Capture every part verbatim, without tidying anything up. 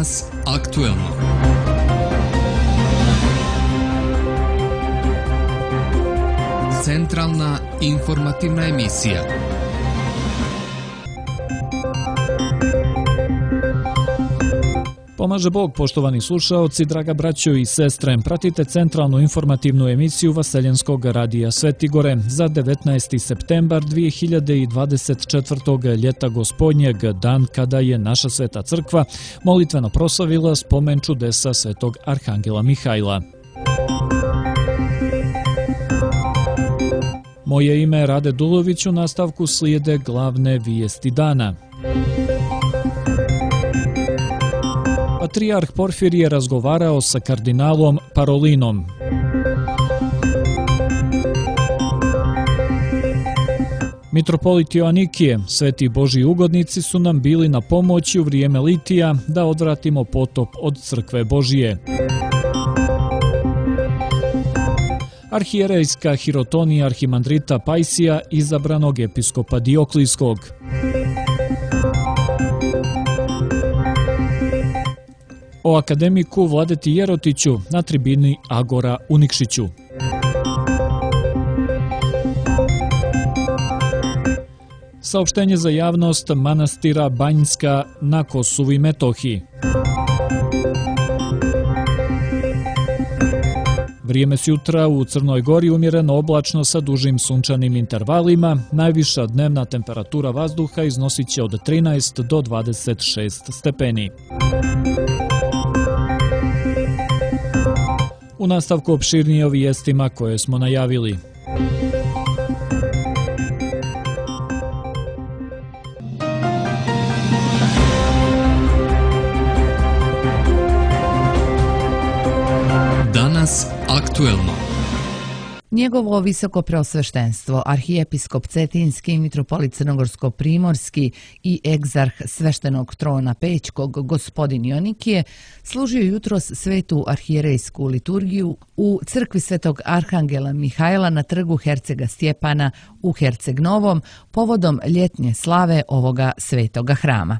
Danas aktuelno. Centralna informativna emisija. Pomaže Bog, poštovani slušaoci, draga braćo i sestre. Pratite centralnu informativnu emisiju Vaseljenskog radija Svetigore za devetnaesti septembar dvije hiljade dvadeset četvrtog. ljeta gospodnjeg, dan kada je naša sveta crkva molitveno proslavila spomen čudesa svetog arhangela Mihajla. Moje ime je Rade Dulović, u nastavku slijede glavne vijesti dana. Patrijarh Porfirije je razgovarao sa kardinalom Parolinom. Mitropolit Joanikije, sveti Božji ugodnici su nam bili na pomoći u vrijeme litija da odvratimo potop od crkve Božije. Arhijerejska hirotonija arhimandrita Pajsija, izabranog episkopa Dioklijskog. O akademiku Vladeti Jerotiću na tribini Agora u Nikšiću. Saopštenje za javnost manastira Banjska na Kosovu i Metohiji. Vrijeme s jutra u Crnoj Gori umjereno oblačno sa dužim sunčanim intervalima. Najviša dnevna temperatura vazduha iznosit će od trinaest do dvadeset šest stepeni. U nastavku opširnije o vijestima koje smo najavili. Danas aktuelno. Njegovo visoko preosveštenstvo, arhijepiskop Cetinski, mitropolit Crnogorsko-primorski i egzarh sveštenog trona Pećkog, gospodin Joanikije, služio jutros svetu arhijerejsku liturgiju u crkvi svetog arhangela Mihajla na trgu Hercega Stjepana u Herceg Novom povodom ljetnje slave ovoga svetoga hrama.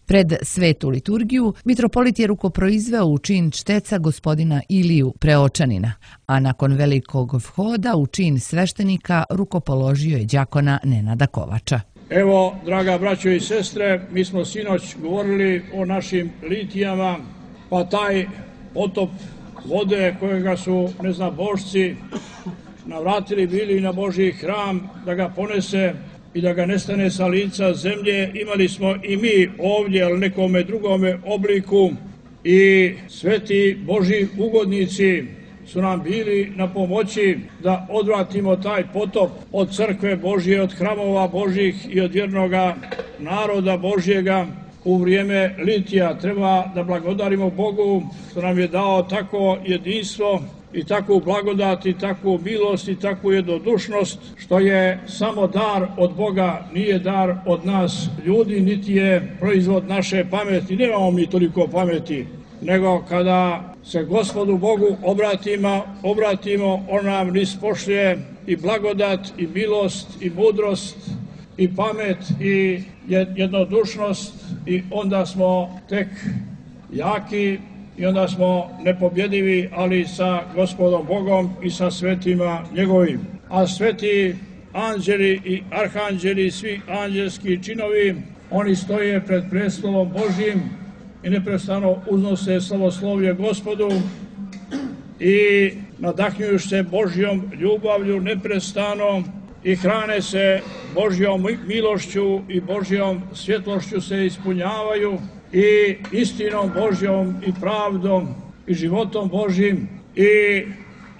Pred svetu liturgiju mitropolit je rukoproizveo u čin čteca gospodina Iliju Preočanina, a nakon velikog vhoda u čin sveštenika rukopoložio je đakona Nenada Kovača. Evo, draga braćo i sestre, mi smo sinoć govorili o našim litijama, pa taj potop vode kojega su neznabošci navratili bili na Božji hram da ga ponese i da ga nestane sa lica zemlje, imali smo i mi ovdje, ali nekome drugome obliku, i sveti Božji ugodnici su nam bili na pomoći da odvratimo taj potop od crkve Božje, od hramova Božjih i od vjernoga naroda Božjega u vrijeme litija. Treba da blagodarimo Bogu što nam je dao tako jedinstvo i takvu blagodat i takvu milost i takvu jednodušnost, što je samo dar od Boga, nije dar od nas ljudi, niti je proizvod naše pameti. Nemamo mi toliko pameti, nego kada se Gospodu Bogu obratimo, obratimo, on nam nispošlje i blagodat i milost i mudrost i pamet i jednodušnost, i onda smo tek jaki i onda smo nepobjedivi, ali sa Gospodom Bogom i sa svetima njegovim. A sveti anđeli i arhanđeli, svi anđelski činovi, oni stoje pred prestolom Božjim i neprestano uznose slavoslovlje Gospodu i nadahnjuju se Božjom ljubavlju neprestano i hrane se Božjom milošću i Božjom svjetlošću se ispunjavaju i istinom Božjom i pravdom i životom Božjim, i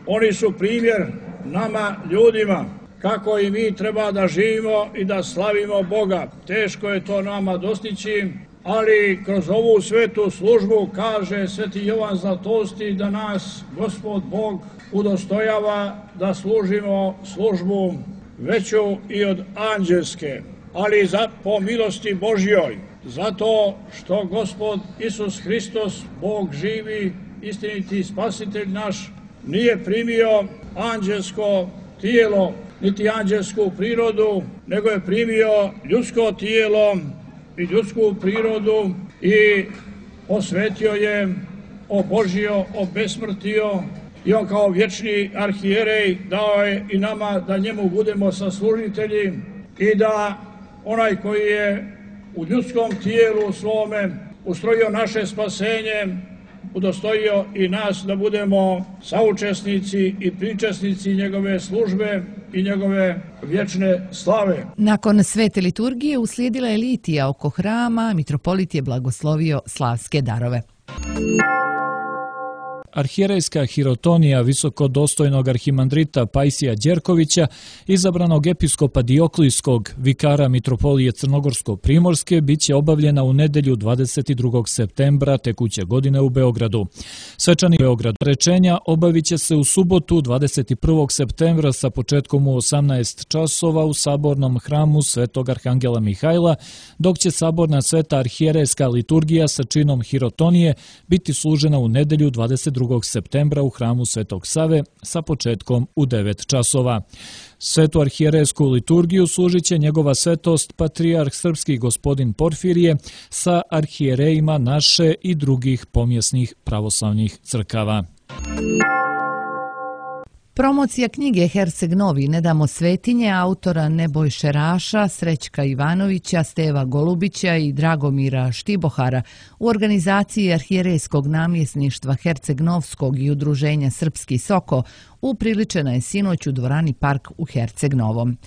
oni su primjer nama ljudima kako i mi treba da živimo i da slavimo Boga. Teško je to nama dostići, ali kroz ovu svetu službu, kaže sveti Jovan Zlatosti, da nas Gospod Bog udostojava da služimo službu veću i od anđelske, ali za, po milosti Božjoj, zato što Gospod Isus Hristos, Bog živi, istiniti spasitelj naš, nije primio anđelsko tijelo, niti anđelsku prirodu, nego je primio ljudsko tijelo i ljudsku prirodu i osvetio je, obožio, obesmrtio i on kao vječni arhijerej dao je i nama da njemu budemo saslužitelji i da onaj koji je u ljudskom tijelu svome ustrojio naše spasenje, udostojio i nas da budemo saučesnici i pričesnici njegove službe i njegove vječne slave. Nakon svete liturgije uslijedila je litija oko hrama, mitropolit je blagoslovio slavske darove. Arhijerejska hirotonija visokodostojnog arhimandrita Pajsija Đerkovića, izabranog episkopa Dioklijskog, vikara mitropolije Crnogorsko-Primorske, bit će obavljena u nedjelju dvadeset drugog septembra tekuće godine u Beogradu. Svečani Beograd rečenja obavit će se u subotu dvadeset prvog septembra sa početkom u osamnaest časova u sabornom hramu Svetog Arhangela Mihajla, dok će saborna sveta arhijerejska liturgija sa činom hirotonije biti služena u nedjelju dvadeset drugog septembra u hramu Svetog Save sa početkom u devet časova. Svetu arhijerejsku liturgiju služit će njegova svetost patrijarh srpski gospodin Porfirije sa arhijerejima naše i drugih pomjesnih pravoslavnih crkava. Promocija knjige Herceg Novi Ne damo svetinje autora Nebojše Raša, Srećka Ivanovića, Steva Golubića i Dragomira Štibohara u organizaciji arhijerejskog namjesništva Herceg Novskog i udruženja Srpski Soko upriličena je sinoć u dvorani Park u Herceg Novom.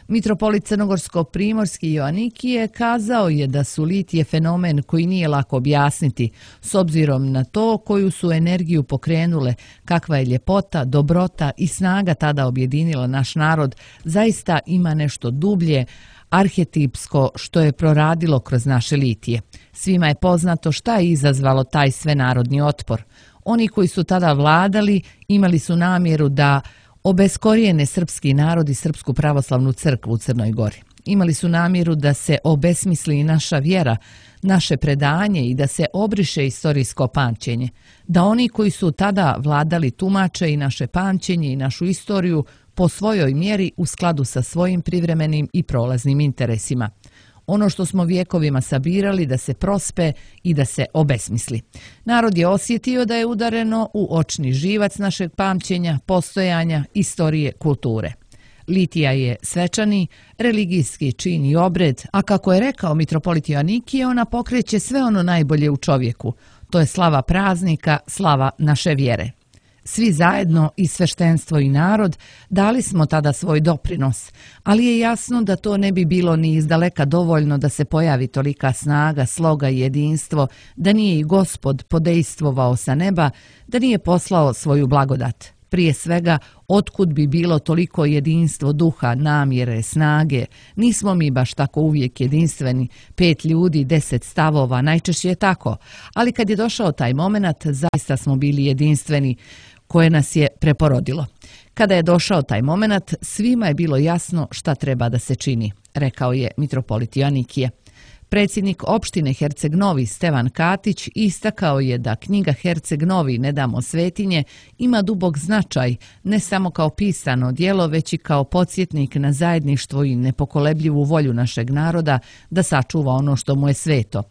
Mitropolit Crnogorsko-Primorski Joanikije kazao je da su litije fenomen koji nije lako objasniti, s obzirom na to koju su energiju pokrenule, kakva je ljepota, dobrota i snaga tada objedinila naš narod, zaista ima nešto dublje, arhetipsko što je proradilo kroz naše litije. Svima je poznato šta je izazvalo taj svenarodni otpor. Oni koji su tada vladali imali su namjeru da obeskorijene srpski narod i Srpsku pravoslavnu crkvu u Crnoj Gori. Imali su namjeru da se obesmisli i naša vjera, naše predanje i da se obriše istorijsko pamćenje. Da oni koji su tada vladali tumače i naše pamćenje i našu istoriju po svojoj mjeri u skladu sa svojim privremenim i prolaznim interesima. Ono što smo vjekovima sabirali da se prospe i da se obesmisli. Narod je osjetio da je udareno u očni živac našeg pamćenja, postojanja, istorije, kulture. Litija je svečani, religijski čin i obred, a kako je rekao mitropolit Joanikije, ona pokreće sve ono najbolje u čovjeku. To je slava praznika, slava naše vjere. Svi zajedno, i sveštenstvo i narod, dali smo tada svoj doprinos, ali je jasno da to ne bi bilo ni izdaleka dovoljno da se pojavi tolika snaga, sloga i jedinstvo, da nije i Gospod podejstvovao sa neba, da nije poslao svoju blagodat. Prije svega, otkud bi bilo toliko jedinstvo duha, namjere, snage? Nismo mi baš tako uvijek jedinstveni, pet ljudi, deset stavova, najčešće je tako. Ali kad je došao taj moment, zaista smo bili jedinstveni, koje nas je preporodilo. Kada je došao taj moment, svima je bilo jasno šta treba da se čini, rekao je mitropolit Joanikije. Predsjednik opštine Herceg Novi Stevan Katić istakao je da knjiga Herceg Novi Ne damo svetinje ima dubok značaj ne samo kao pisano djelo, već i kao podsjetnik na zajedništvo i nepokolebljivu volju našeg naroda da sačuva ono što mu je sveto.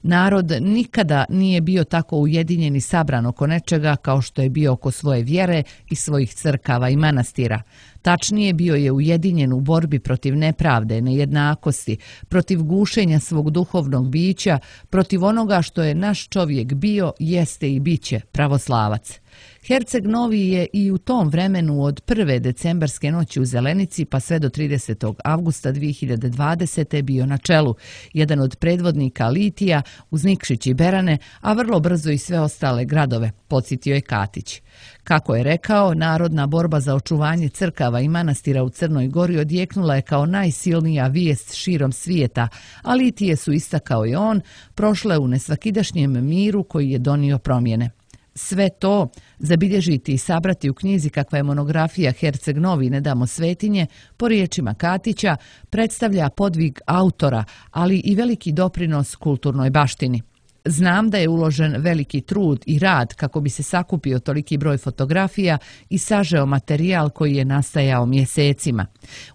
Narod nikada nije bio tako ujedinjen i sabran oko nečega kao što je bio oko svoje vjere i svojih crkava i manastira. Tačnije, bio je ujedinjen u borbi protiv nepravde, nejednakosti, protiv gušenja svog duhovnog bića, protiv onoga što je naš čovjek bio, jeste i biće, pravoslavac. Herceg Novi je i u tom vremenu od prve decembarske noći u Zelenici pa sve do tridesetog avgusta dvije hiljade dvadesete bio na čelu, jedan od predvodnika litija uz Nikšić i Berane, a vrlo brzo i sve ostale gradove, podsjetio je Katić. Kako je rekao, narodna borba za očuvanje crkava i manastira u Crnoj Gori odjeknula je kao najsilnija vijest širom svijeta, a litije su, istakao i on, prošle u nesvakidašnjem miru koji je donio promjene. Sve to zabilježiti i sabrati u knjizi kakva je monografija Herceg Novi Ne damo svetinje, po riječima Katića, predstavlja podvig autora, ali i veliki doprinos kulturnoj baštini. Znam da je uložen veliki trud i rad kako bi se sakupio toliki broj fotografija i sažeo materijal koji je nastajao mjesecima.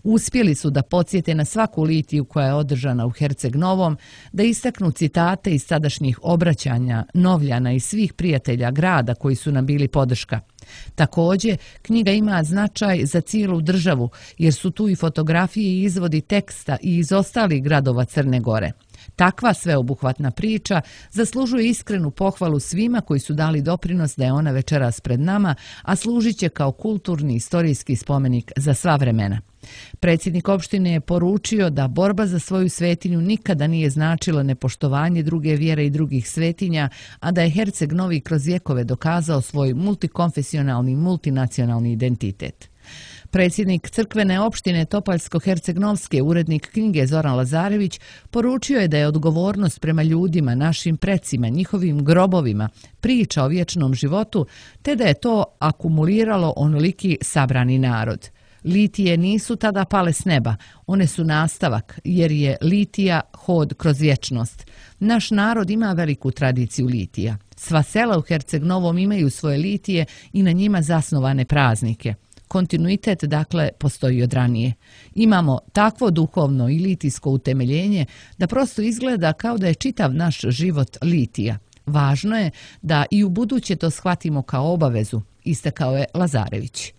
Uspjeli su da podsjete na svaku litiju koja je održana u Herceg Novom, da istaknu citate iz tadašnjih obraćanja Novljana i svih prijatelja grada koji su nam bili podrška. Također, knjiga ima značaj za cijelu državu jer su tu i fotografije i izvodi teksta i iz ostalih gradova Crne Gore. Takva sveobuhvatna priča zaslužuje iskrenu pohvalu svima koji su dali doprinos da je ona večeras pred nama, a služit će kao kulturni istorijski spomenik za sva vremena. Predsjednik opštine je poručio da borba za svoju svetinju nikada nije značila nepoštovanje druge vjere i drugih svetinja, a da je Herceg Novi kroz vjekove dokazao svoj multikonfesionalni, multinacionalni identitet. Predsjednik crkvene opštine Topaljsko-Hercegnovske, urednik knjige Zoran Lazarević, poručio je da je odgovornost prema ljudima, našim precima, njihovim grobovima, priča o vječnom životu, te da je to akumuliralo onoliki sabrani narod. Litije nisu tada pale s neba, one su nastavak, jer je litija hod kroz vječnost. Naš narod ima veliku tradiciju litija. Sva sela u Herceg Novom imaju svoje litije i na njima zasnovane praznike. Kontinuitet, dakle, postoji od ranije. Imamo takvo duhovno i litijsko utemeljenje da prosto izgleda kao da je čitav naš život litija. Važno je da i u buduće to shvatimo kao obavezu, istakao je Lazarević.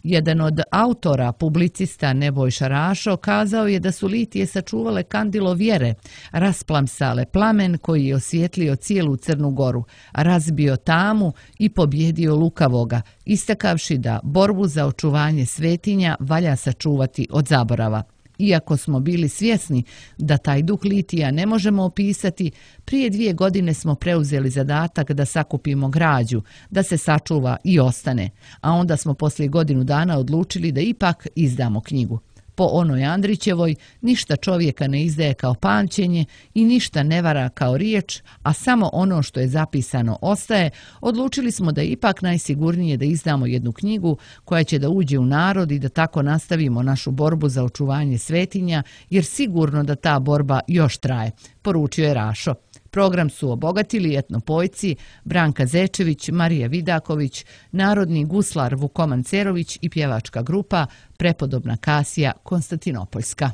Jedan od autora, publicista Nebojša Rašo, kazao je da su litije sačuvale kandilo vjere, rasplamsale plamen koji je osvijetlio cijelu Crnu Goru, razbio tamu i pobjedio lukavoga, istakavši da borbu za očuvanje svetinja valja sačuvati od zaborava. Iako smo bili svjesni da taj duh litija ne možemo opisati, prije dvije godine smo preuzeli zadatak da sakupimo građu, da se sačuva i ostane, a onda smo poslije godinu dana odlučili da ipak izdamo knjigu. Po onoj Andrićevoj, ništa čovjeka ne izdaje kao pamćenje i ništa ne vara kao riječ, a samo ono što je zapisano ostaje, odlučili smo da je ipak najsigurnije da izdamo jednu knjigu koja će da uđe u narod i da tako nastavimo našu borbu za očuvanje svetinja, jer sigurno da ta borba još traje, poručio je Rašo. Program su obogatili etnopojci Branka Zečević, Marija Vidaković, narodni guslar Vukoman Cerović i pjevačka grupa Prepodobna Kasija Konstantinopoljska.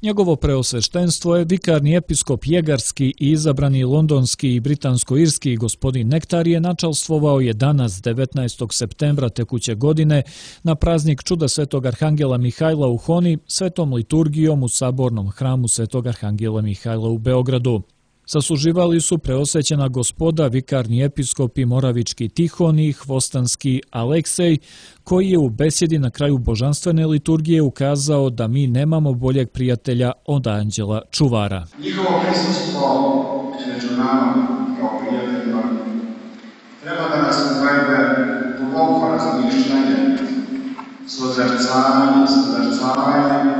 Njegovo preosveštenstvo je vikarni episkop Jegarski i izabrani londonski i britansko-irski gospodin Nektar je načalstvovao je danas devetnaestog septembra tekuće godine na praznik čuda Svetog Arhangela Mihajla u Honi svetom liturgijom u sabornom hramu Svetog Arhangela Mihajla u Beogradu. Sasluživali su preosvećena gospoda, vikarni episkopi Moravički Tihon i Hvostanski Aleksej, koji je u besjedi na kraju božanstvene liturgije ukazao da mi nemamo boljeg prijatelja od anđela čuvara. Njihovo prisustvo među nama kao prijateljima treba da nas uvede duboko razmišljanje, sozrcavanje, sozrcavanje,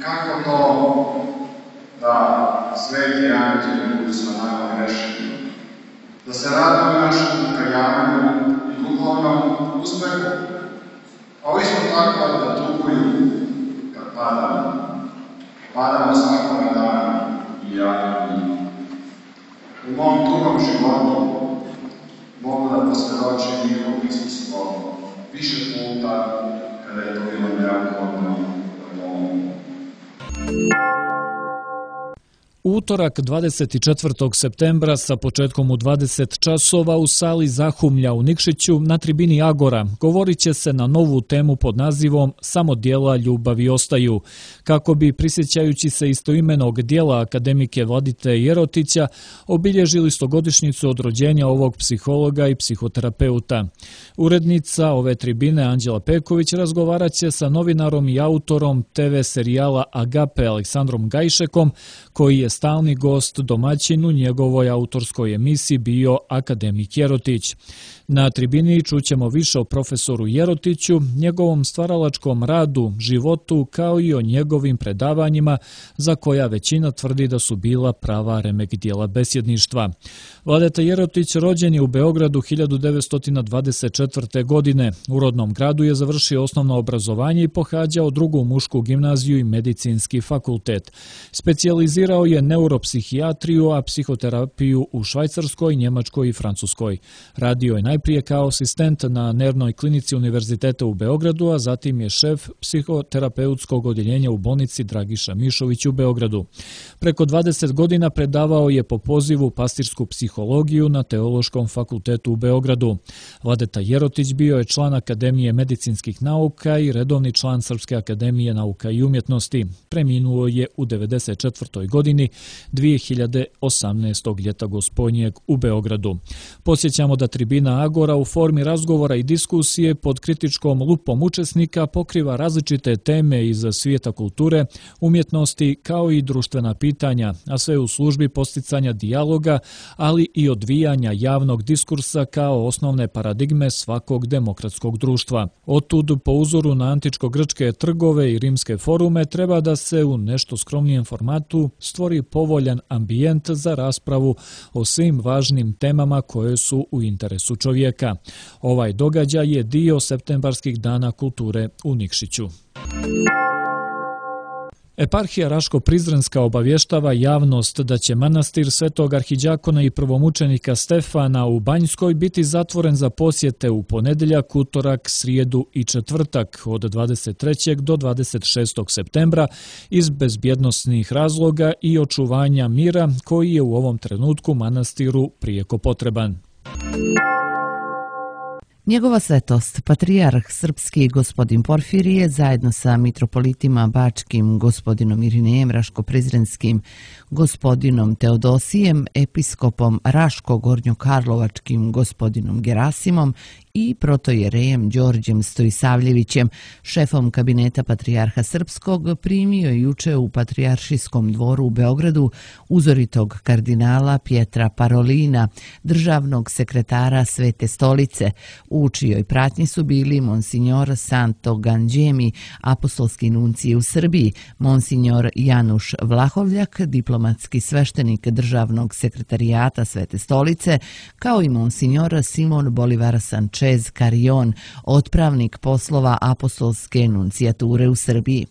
kako to da sveti anđeli budu sa nama grešni, da se raduju našem pokajanju i duhovnom uspehu, a isto tako da tuguju kad padamo. Padamo svakoga dana i ja i mi. U mom tugom životu mogu da posvjedočim njihovo prisustvo više puta kada je to bilo neophodno da pomogu. U utorak dvadeset četvrtog septembra sa početkom u dvadeset časova u sali Zahumlja u Nikšiću na tribini Agora govorit će se na novu temu pod nazivom Samo djela ljubavi ostaju, kako bi, prisjećajući se istoimenog dijela akademike Vladite Jerotića, obilježili stogodišnjicu od rođenja ovog psihologa i psihoterapeuta. Urednica ove tribine Anđela Peković razgovarat će sa novinarom i autorom te ve serijala Agape Aleksandrom Gajšekom, koji je stalni gost domaćin u njegovoj autorskoj emisiji bio akademik Jerotić. Na tribini čućemo više o profesoru Jerotiću, njegovom stvaralačkom radu, životu, kao i o njegovim predavanjima, za koja većina tvrdi da su bila prava remek dijela besjedništva. Vladeta Jerotić rođen je u Beogradu hiljadu devetsto dvadeset četvrte. godine. U rodnom gradu je završio osnovno obrazovanje i pohađao drugu mušku gimnaziju i medicinski fakultet. Specijalizirao je neuropsihijatriju, a psihoterapiju u Švajcarskoj, Njemačkoj i Francuskoj. Radio je najprije kao asistent na nervnoj klinici Univerziteta u Beogradu, a zatim je šef psihoterapeutskog odjeljenja u bolnici Dragiša Mišović u Beogradu. Preko dvadeset godina predavao je po pozivu pastirsku psihologiju na Teološkom fakultetu u Beogradu. Vladeta Jerotić bio je član Akademije medicinskih nauka i redovni član Srpske akademije nauka i umjetnosti. Preminuo je u devedeset četvrtoj. godini dvije hiljade osamnaestog. ljeta gospodnjeg u Beogradu. Posjećamo da tribina Agora u formi razgovora i diskusije pod kritičkom lupom učesnika pokriva različite teme iz svijeta kulture, umjetnosti kao i društvena pitanja, a sve u službi posticanja dijaloga, ali i odvijanja javnog diskursa kao osnovne paradigme svakog demokratskog društva. Otud, po uzoru na antičko-grčke trgove i rimske forume, treba da se u nešto skromnijem formatu stvori povoljan ambijent za raspravu o svim važnim temama koje su u interesu čovjeka. Ovaj događaj je dio septembarskih dana kulture u Nikšiću. Eparhija Raško-Prizrenska obavještava javnost da će manastir Svetog arhiđakona i prvomučenika Stefana u Banjskoj biti zatvoren za posjete u ponedjeljak, utorak, srijedu i četvrtak od dvadeset trećeg do dvadeset šestog septembra iz bezbjednosnih razloga i očuvanja mira koji je u ovom trenutku manastiru prijeko potreban. Njegova svetost, patrijarh srpski gospodin Porfirije, zajedno sa mitropolitima bačkim gospodinom Irinejem Raško-Prizrenskim, gospodinom Teodosijem, episkopom Raško-Gornjokarlovačkim gospodinom Gerasimom i protojerejem Đorđem Stojisavljevićem, šefom kabineta patrijarha srpskog, primio je juče u Patrijaršijskom dvoru u Beogradu uzoritog kardinala Pietra Parolina, državnog sekretara Svete stolice. U čijoj pratnji su bili monsignor Santo Ganđemi, apostolski nuncij u Srbiji, monsignor Januš Vlahovljak, diplomatski sveštenik državnog sekretarijata Svete stolice, kao i monsignor Simon Bolivar Sanchez Carion, otpravnik poslova apostolske nuncijature u Srbiji.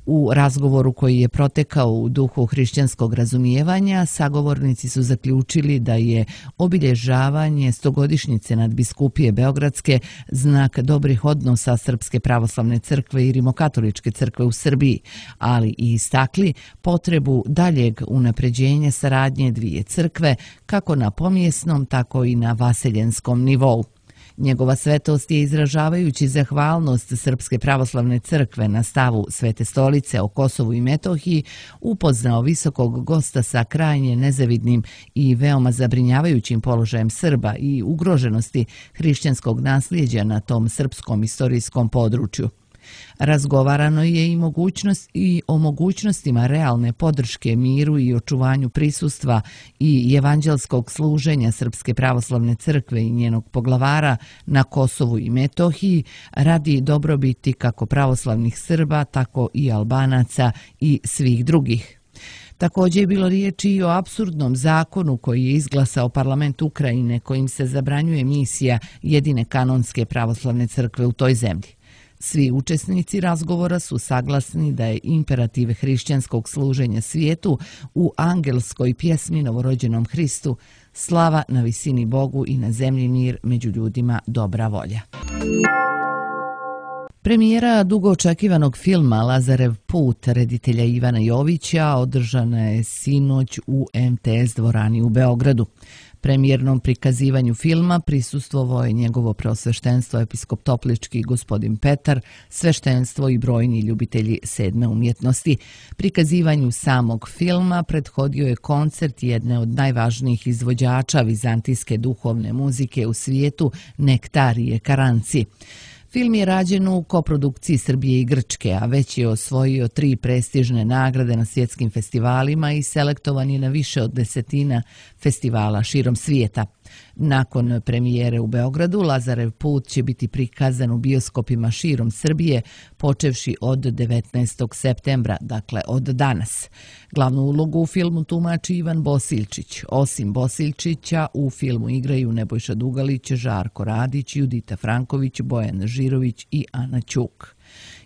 U razgovoru koji je protekao u duhu hrišćanskog razumijevanja, sagovornici su zaključili da je obilježavanje stogodišnjice nadbiskupije Beogradske znak dobrih odnosa Srpske pravoslavne crkve i Rimokatoličke crkve u Srbiji, ali i istakli potrebu daljeg unapređenja saradnje dvije crkve, kako na pomjesnom, tako i na vaseljenskom nivou. Njegova svetost je, izražavajući zahvalnost Srpske pravoslavne crkve na stavu Svete stolice o Kosovu i Metohiji, upoznao visokog gosta sa krajnje nezavidnim i veoma zabrinjavajućim položajem Srba i ugroženosti hrišćanskog nasljeđa na tom srpskom istorijskom području. Razgovarano je i, mogućnost, i o mogućnostima realne podrške miru i očuvanju prisustva i evanđelskog služenja Srpske pravoslavne crkve i njenog poglavara na Kosovu i Metohiji radi dobrobiti kako pravoslavnih Srba, tako i Albanaca i svih drugih. Također je bilo riječi i o apsurdnom zakonu koji je izglasao parlament Ukrajine, kojim se zabranjuje misija jedine kanonske pravoslavne crkve u toj zemlji. Svi učesnici razgovora su saglasni da je imperativ hrišćanskog služenja svijetu u angelskoj pjesmi novorođenom Hristu slava na visini Bogu i na zemlji mir, među ljudima dobra volja. Premijera dugo očekivanog filma Lazarev put reditelja Ivana Jovića održana je sinoć u em te es dvorani u Beogradu. Premijernom prikazivanju filma prisustvovao je njegovo preosveštenstvo episkop Toplički gospodin Petar, sveštenstvo i brojni ljubitelji sedme umjetnosti. Prikazivanju samog filma prethodio je koncert jedne od najvažnijih izvođača vizantijske duhovne muzike u svijetu, Nektarije Karanci. Film je rađen u koprodukciji Srbije i Grčke, a već je osvojio tri prestižne nagrade na svjetskim festivalima i selektovan je na više od desetina festivala širom svijeta. Nakon premijere u Beogradu, Lazarev put će biti prikazan u bioskopima širom Srbije, počevši od devetnaestog septembra, dakle od danas. Glavnu ulogu u filmu tumači Ivan Bosiljčić. Osim Bosiljčića, u filmu igraju Nebojša Dugalić, Žarko Radić, Judita Franković, Bojan Žirović i Ana Ćuk.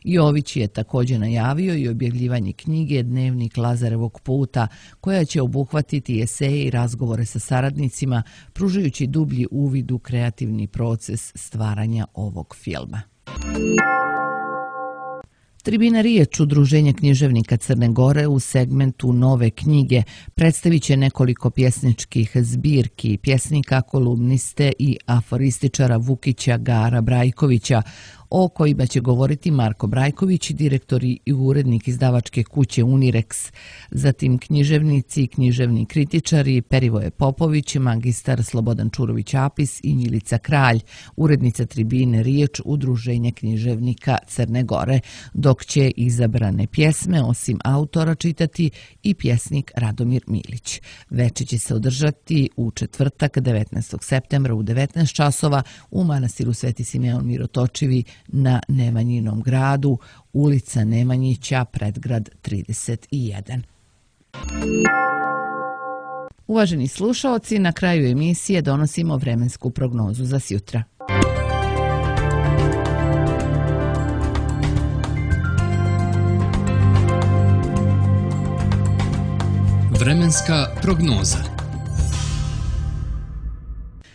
Jović je također najavio i objavljivanje knjige Dnevnik Lazarevog puta, koja će obuhvatiti eseje i razgovore sa saradnicima, pružajući dublji uvid u kreativni proces stvaranja ovog filma. Tribina Riječ, udruženje književnika Crne Gore, u segmentu nove knjige predstavit će nekoliko pjesničkih zbirki pjesnika, kolumniste i aforističara Vukića Gara Brajkovića, o kojima će govoriti Marko Brajković, direktor i urednik izdavačke kuće Unirex, zatim književnici i književni kritičari Perivoje Popović, magistar Slobodan Čurović-Apis i Njilica Kralj, urednica Tribine Riječ, udruženja književnika Crne Gore, dok će izabrane pjesme osim autora čitati i pjesnik Radomir Milić. Veče će se održati u četvrtak devetnaestog septembra u devetnaest časova u manastiru Sveti Simeon Mirotočivi na Nemanjinom gradu, ulica Nemanjića, predgrad trideset jedan. Uvaženi slušaoci, na kraju emisije donosimo vremensku prognozu za sjutra. Vremenska prognoza.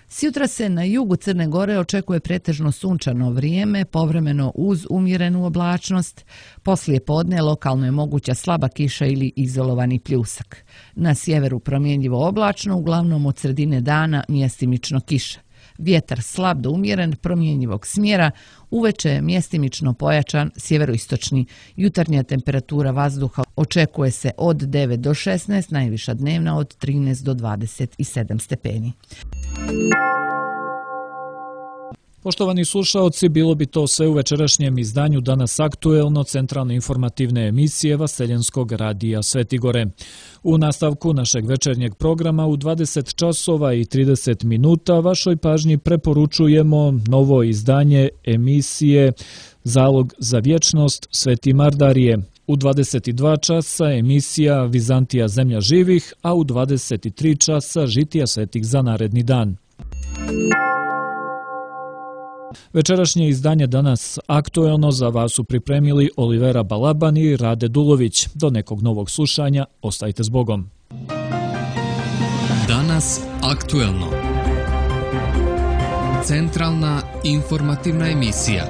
Sjutra se na jugu Crne Gore očekuje pretežno sunčano vrijeme, povremeno uz umjerenu oblačnost. Poslije podne lokalno je moguća slaba kiša ili izolovani pljusak. Na sjeveru promjenjivo oblačno, uglavnom od sredine dana mjestimično kiša. Vjetar slab do umjeren, promjenjivog smjera, uveče je mjestimično pojačan sjeveroistočni. Jutarnja temperatura vazduha očekuje se od devet do šesnaest, najviša dnevna od trinaest do dvadeset sedam stepeni. Poštovani slušaoci, bilo bi to sve u večerašnjem izdanju Danas aktuelno centralne informativne emisije Vaseljenskog radija Svetigore. U nastavku našeg večernjeg programa u dvadeset časova i trideset minuta vašoj pažnji preporučujemo novo izdanje emisije Zalog za vječnost Sveti Mardarije. U dvadeset dva časa emisija Vizantija zemlja živih, a u dvadeset tri časa Žitija svetih za naredni dan. Večerašnje izdanje Danas aktuelno za vas su pripremili Olivera Balaban i Rade Dulović. Do nekog novog slušanja, ostajte s Bogom. Danas aktuelno. Centralna informativna emisija.